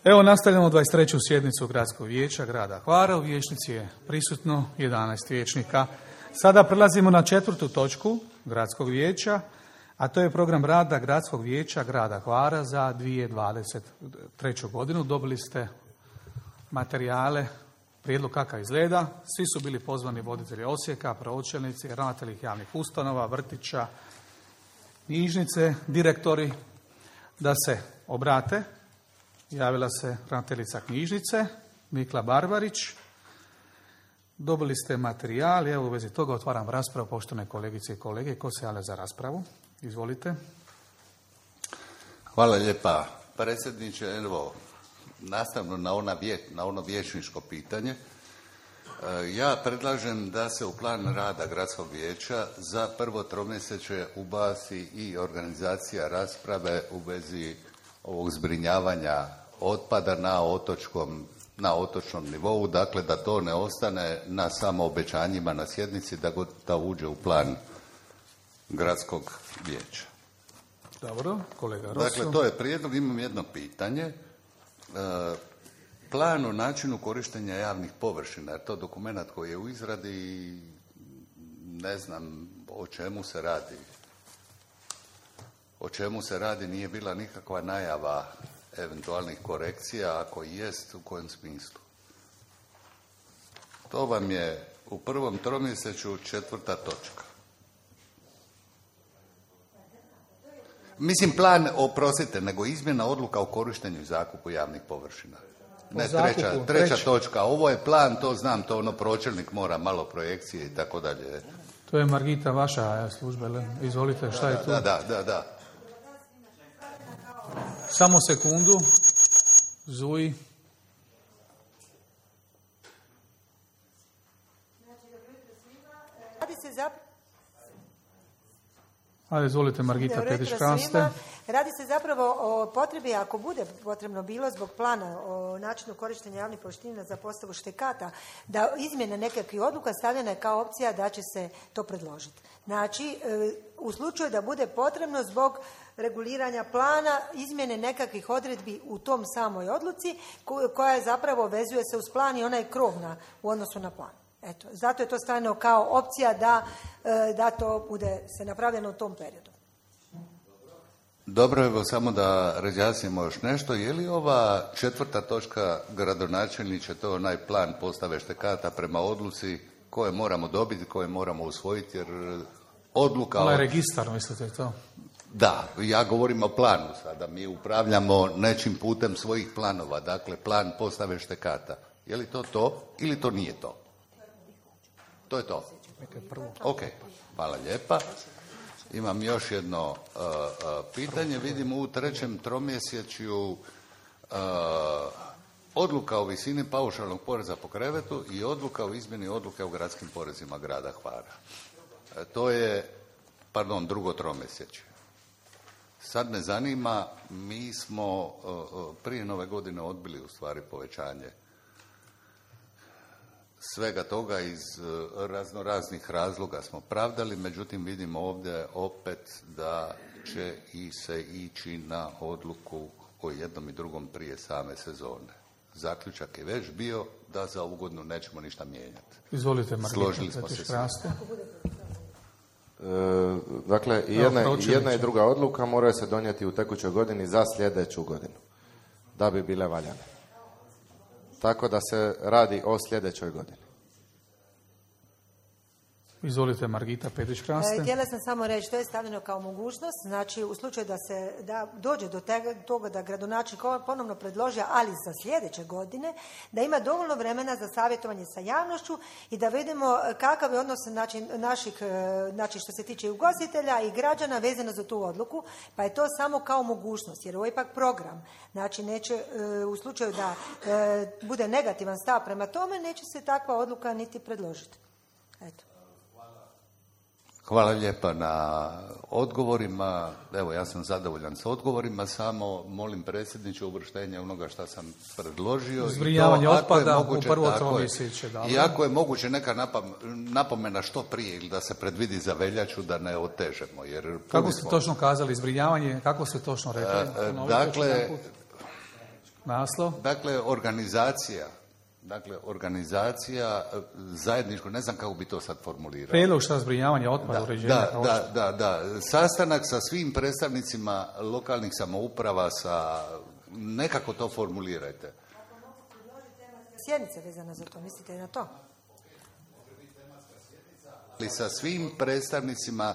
Evo nastavljamo 23. sjednicu Gradskog vijeća grada Hvara. U vijećnici je prisutno 11 vijećnika. Sada prelazimo na 4. točku Gradskog vijeća, a to je program rada Gradskog vijeća grada Hvara za 2023. godinu. Dobili ste materijale, prijedlog kakav izgleda. Svi su bili pozvani voditelji Osijeka, pročelnici, ravnatelji javnih ustanova, vrtića, knjižnice, direktori da se obrate. Javila se ravnateljica knjižnice, Mikla Barbarić. Dobili ste materijal, evo u vezi toga otvaram raspravu, poštovane kolegice i kolege. Ko se javlja za raspravu? Izvolite. Hvala lijepa, predsjedniče. Evo, nastavno na ono vijećničko pitanje, ja predlažem da se u plan rada Gradskog vijeća za prvo tromjesečje ubaci i organizacija rasprave u vezi ovog zbrinjavanja otpada na otočnom nivou, dakle da to ne ostane na samo obećanjima na sjednici, da uđe u plan Gradskog vijeća. Dobro, kolega Rosu. Dakle, to je prijedlog. Imam jedno pitanje. Plan o načinu korištenja javnih površina, je to dokument koji je u izradi i ne znam o čemu se radi. O čemu se radi, nije bila nikakva najava eventualnih korekcija, ako jest, u kojem smislu. To vam je u prvom tromjesečju 4. točka. Mislim, plan, oprostite, nego izmjena odluka o korištenju i zakupu javnih površina. Ne, treća točka. Ovo je plan, to znam, to ono pročelnik mora malo projekcije i tako dalje. To je Margita, vaša služba, izvolite, šta je tu? Da. Samo sekundu. Zuji. Ajde, izvolite, Margita Petić-Kraste. Radi se zapravo o potrebi, ako bude potrebno bilo zbog plana o načinu korištenja javnih površina za postavu štekata, da izmjene nekakvih odluka stavljena je kao opcija da će se to predložiti. Znači, u slučaju da bude potrebno zbog reguliranja plana, izmjene nekakvih odredbi u tom samoj odluci, koja je zapravo vezuje se uz plan i ona je krovna u odnosu na plan. Eto, zato je to stavljeno kao opcija da to bude se napravljeno u tom periodu. Dobro, evo samo da razjasnimo još nešto. Je li ova 4. točka, gradonačelniče, to onaj plan postave štekata prema odluci koje moramo dobiti, koje moramo usvojiti, jer odluka... Ovaj registar, mislite to? Da, ja govorim o planu sada. Mi upravljamo nečim putem svojih planova, dakle plan postave štekata. Je li to ili to nije to? To je to. Ok, hvala lijepa. Imam još jedno pitanje. Vidimo u 3. tromjesečju odluka o visini paušalnog poreza po krevetu i odluka o izmjeni odluke o gradskim porezima grada Hvara. To je, 2. tromjesečje. Sad me zanima, mi smo prije Nove godine odbili u stvari povećanje svega toga iz raznoraznih razloga smo pravdali, međutim vidimo ovdje opet da će se ići na odluku o jednom i drugom prije same sezone. Zaključak je već bio da za ovu godinu nećemo ništa mijenjati. Izvolite, Margita. Složili smo se. Dakle, jedna i druga odluka moraju se donijeti u tekućoj godini za sljedeću godinu, da bi bile valjane. Tako da se radi o sljedećoj godini. Izvolite, Margita Petić-Kraste. Htjela sam samo reći, to je stavljeno kao mogućnost, znači u slučaju da dođe do toga da gradonačelnik ponovno predloži, ali za sljedeće godine, da ima dovoljno vremena za savjetovanje sa javnošću i da vidimo kakav je odnos znači što se tiče ugostitelja i građana vezano za tu odluku, pa je to samo kao mogućnost, jer ovo je ipak program. Znači, neće, u slučaju da bude negativan stav prema tome, neće se takva odluka niti predložiti. Eto. Hvala lijepa na odgovorima. Evo, ja sam zadovoljan sa odgovorima, samo molim predsjedniče uvrštenje onoga što sam predložio. Zbrinjavanje otpada u prvo tromjesečje. I ako je moguće neka napomena što prije ili da se predvidi za veljaču da ne otežemo. Jer kako ste točno kazali zbrinjavanje, kako ste točno rekli? Dakle, Naslov? Dakle, organizacija zajedničko, ne znam kako bi to sad formulirao. Prijedlog šta zbrinjavanje otpada, uređenja. Da. Sastanak sa svim predstavnicima lokalnih samouprava, nekako to formulirajte. Sjednice vezano za to, mislite na to? Ali sa svim predstavnicima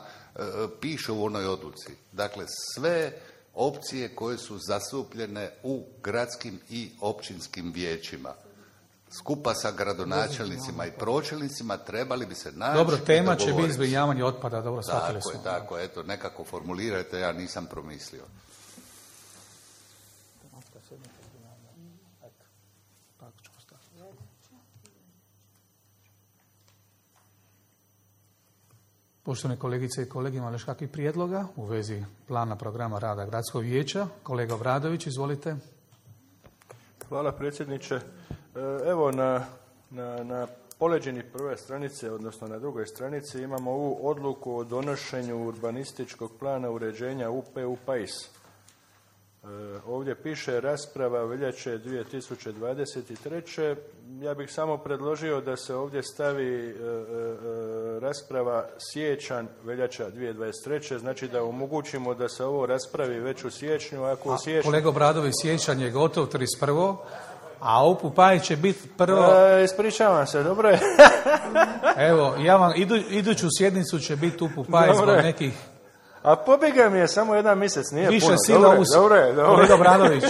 piše u onoj odluci. Dakle, sve opcije koje su zastupljene u gradskim i općinskim vijećima, skupa sa gradonačelnicima i pročelnicima, trebali bi se naći. Dobro, tema će biti zbrinjavanje otpada, dobro, shvatili smo. Tako, eto, nekako formulirajte, ja nisam promislio. Poštovane kolegice i kolege, ima li još kakvih prijedloga u vezi plana programa rada Gradskog vijeća? Kolega Obradović, izvolite. Hvala predsjedniče. Evo na poleđini prve stranice, odnosno na drugoj stranici, imamo ovu odluku o donošenju urbanističkog plana uređenja UP Pais. Ovdje piše rasprava veljače 2023. Ja bih samo predložio da se ovdje stavi rasprava siječanj veljača 2023. Znači da omogućimo da se ovo raspravi već u siječnju. Kolega Obradović, siječanj je gotov 31. A UP Pais će biti prvo... Ispričavam se, dobro je. Evo, ja vam iduću sjednicu će biti UP Pais zbog nekih... A pobjega mi je samo jedan mjesec, nije više puno. Sila Dobro. Kolega Obradović,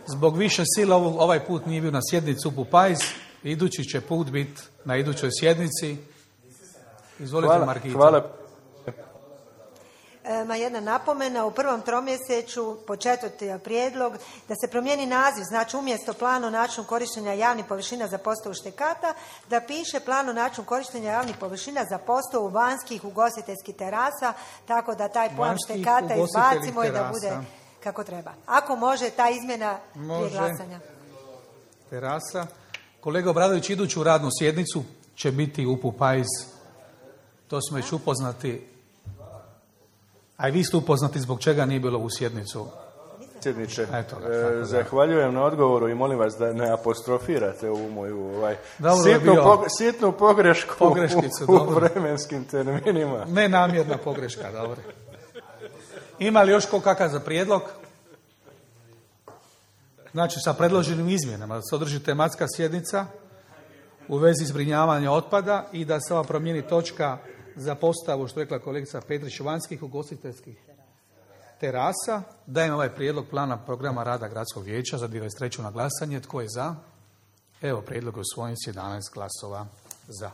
zbog više sila ovaj put nije bio na sjednici UP Pais, idući će put biti na idućoj sjednici. Izvolite, Margita. Hvala. Jedna napomena, u prvom tromjeseću po 4. prijedlog da se promijeni naziv, znači umjesto plan o načinu korištenja javnih površina za postavu štekata, da piše plan o načinu korištenja javnih površina za postavu vanjskih ugostiteljskih terasa, tako da taj plan štekata izbacimo i da bude kako treba. Ako može, ta izmjena prije glasanja. Terasa. Kolega Obradović, iduću radnu sjednicu će biti UP Pais. To smo već upoznati. A i vi ste upoznati zbog čega nije bilo u sjednicu. Predsjedniče, zahvaljujem na odgovoru i molim vas da ne apostrofirate ovu moju sitnu pogrešku u vremenskim terminima. Nenamjerna pogreška, dobro. Ima li još kakav za prijedlog? Znači, sa predloženim izmjenama da se održi tematska sjednica u vezi zbrinjavanja otpada i da se ova promijeni točka za postavu, što je rekla kolegica Petrić, vanjskih ugostiteljskih terasa. Dajem ovaj prijedlog plana programa rada Gradskog vijeća za 2023. na glasanje. Tko je za? Evo, prijedlog je usvojen s 11 glasova za.